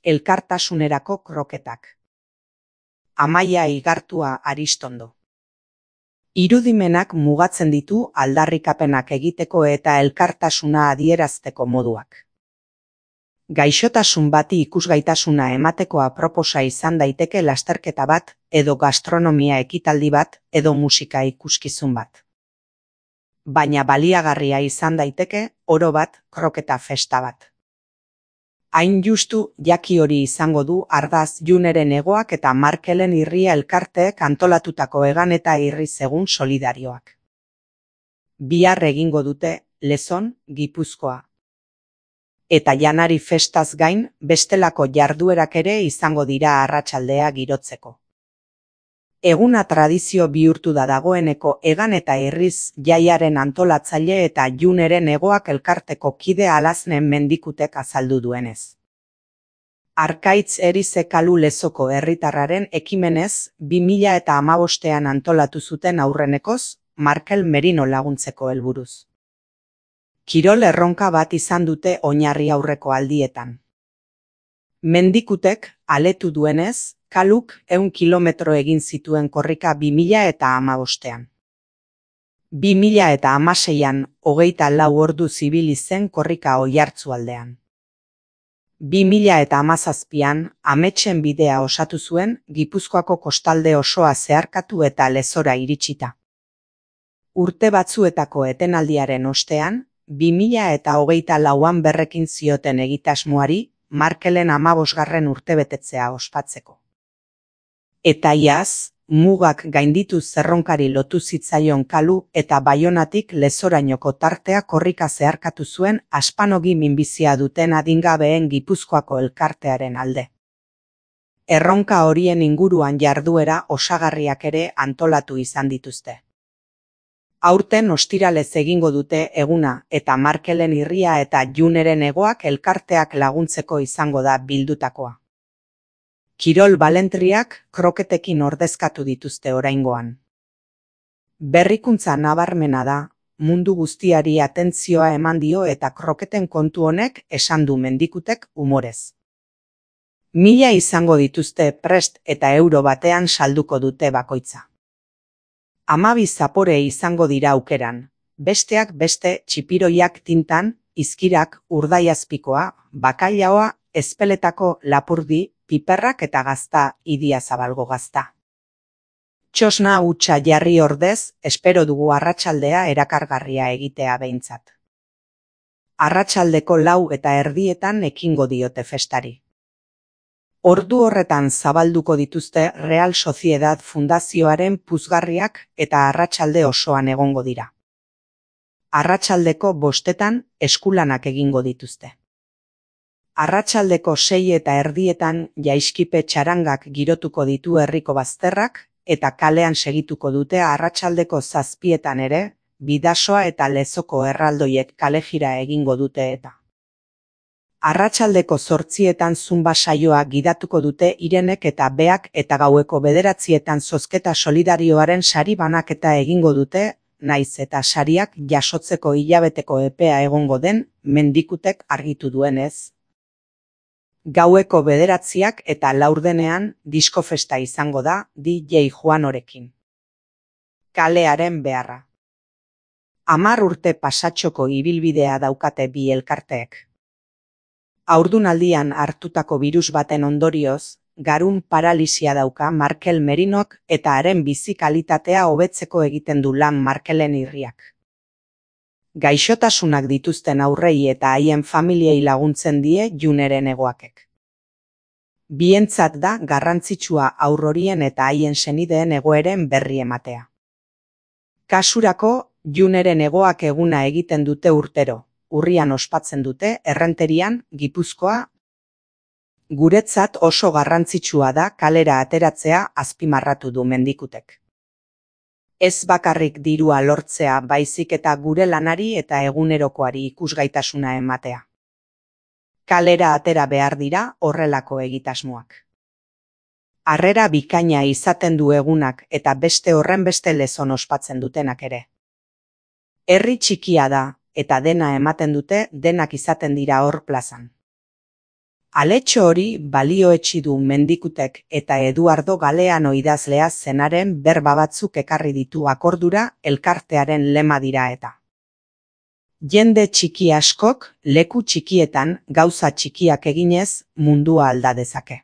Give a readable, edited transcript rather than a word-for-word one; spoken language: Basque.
elkartasunerako kroketak. Amaia Igartua Aristondo. Irudimenak mugatzen ditu aldarrikapenak egiteko eta elkartasuna adierazteko moduak. Gaixotasun bati ikusgaitasuna emateko aproposa izan daiteke lasterketa bat, edo gastronomia ekitaldi bat, edo musika ikuskizun bat. Baina baliagarria izan daiteke, oro bat, kroketa festa bat. Hain justu, jaki hori izango du Ardaz Juneren Hegoak eta Markelen Irria elkarteek antolatutako Egan eta Irri Egun solidarioak. Bihar egingo dute Lezon, Gipuzkoa. Eta janari festaz gain, bestelako jarduerak ere izango dira arratsaldea girotzeko. Eguna tradizio bihurtu da dagoeneko Egan eta Irriz jaiaren antolatzaile eta Juneren Hegoak elkarteko kide Alaznen Mendikutek azaldu duenez. Arkaitz Erize Kalu Lezoko herritarraren ekimenez 2015ean antolatu zuten aurrenekoz, Markel Merino laguntzeko helburuz. Kirol erronka bat izan dute oinarri aurreko aldietan. Mendikutek, aletu duenez, Kaluk 100 kilometro egin zituen korrika 2015ean. 2016an 24 ordu zibili zen korrika Oiartzualdean. 2017an Ametsen bidea osatu zuen Gipuzkoako kostalde osoa zeharkatu eta Lezora iritsita. Urte batzuetako etenaldiaren ostean, 2024an berrekin zioten egitasmoari Markelen 15. urtebetetzea ospatzeko. Eta iaz, mugak gainditu zerronkari lotu zitzaion Kalu eta Baionatik Lezorainoko tartea korrika zeharkatu zuen aspanogi minbizia duten adingabeen Gipuzkoako elkartearen alde. Erronka horien inguruan jarduera osagarriak ere antolatu izan dituzte. Aurten ostiralez egingo dute eguna eta Markelen Irria eta Juneren Hegoak elkarteak laguntzeko izango da bildutakoa. Kirol balentriak kroketekin ordezkatu dituzte oraingoan. Berrikuntza nabarmena da, mundu guztiari atentzioa eman dio eta kroketen kontu honek esan du Mendikutek umorez. 1000 izango dituzte prest eta euro batean salduko dute bakoitza. 12 zapore izango dira aukeran, besteak beste txipiroiak tintan, izkirak, urdaiazpikoa, bakailaoa, ezpeletako lapurdi, piperrak eta gazta, Idiazabalgo gazta. Txosna hutsa jarri ordez, espero dugu arratsaldea erakargarria egitea behintzat. Arratsaldeko 4:30 ekingo diote festari. Ordu horretan zabalduko dituzte Real Sociedad Fundazioaren puzgarriak eta arratsalde osoan egongo dira. Arratsaldeko 5etan eskulanak egingo dituzte. Arratsaldeko 6:30 jaiskipe txarangak girotuko ditu herriko bazterrak eta kalean segituko dute arratsaldeko 7etan ere, Bidasoa eta Lezoko erraldoiek kalejira egingo dute eta. Arratsaldeko 8etan zumba saioa gidatuko dute Irenek eta Beak eta gaueko 9etan zozketa solidarioaren sari banaketa egingo dute, naiz eta sariak jasotzeko hilabeteko epea egongo den Mendikutek argitu duenez. Gaueko 9 eta 4 diskofesta izango da DJ Juanorekin. Kalearen beharra. 10 urte pasatxoko ibilbidea daukate bi elkarteek. Haurdunaldian hartutako birus baten ondorioz, garun paralisia dauka Markel Merinok eta haren bizi kalitatea hobetzeko egiten du lan Markelen Irriak. Gaixotasunak dituzten aurrei eta haien familiei laguntzen die Juneren Hegoakek. Bientzat da garrantzitsua haur horien eta haien senideen egoeren berri ematea. Kasurako, Juneren Hegoak eguna egiten dute urtero, urrian ospatzen dute Errenterian, Gipuzkoa. Guretzat oso garrantzitsua da kalera ateratzea azpimarratu du Mendikutek. Ez bakarrik dirua lortzea baizik eta gure lanari eta egunerokoari ikusgaitasuna ematea. Kalera atera behar dira horrelako egitasmoak. Harrera bikaina izaten du egunak eta beste horrenbeste Lezon ospatzen dutenak ere. Herri txikia da eta dena ematen dute denak izaten dira hor plazan. Aletxo hori balioetsi du Mendikutek eta Eduardo Galeano idazlea zenaren berba batzuk ekarri ditu akordura elkartearen lema dira eta. Jende txiki askok leku txikietan gauza txikiak eginez mundua alda dezake.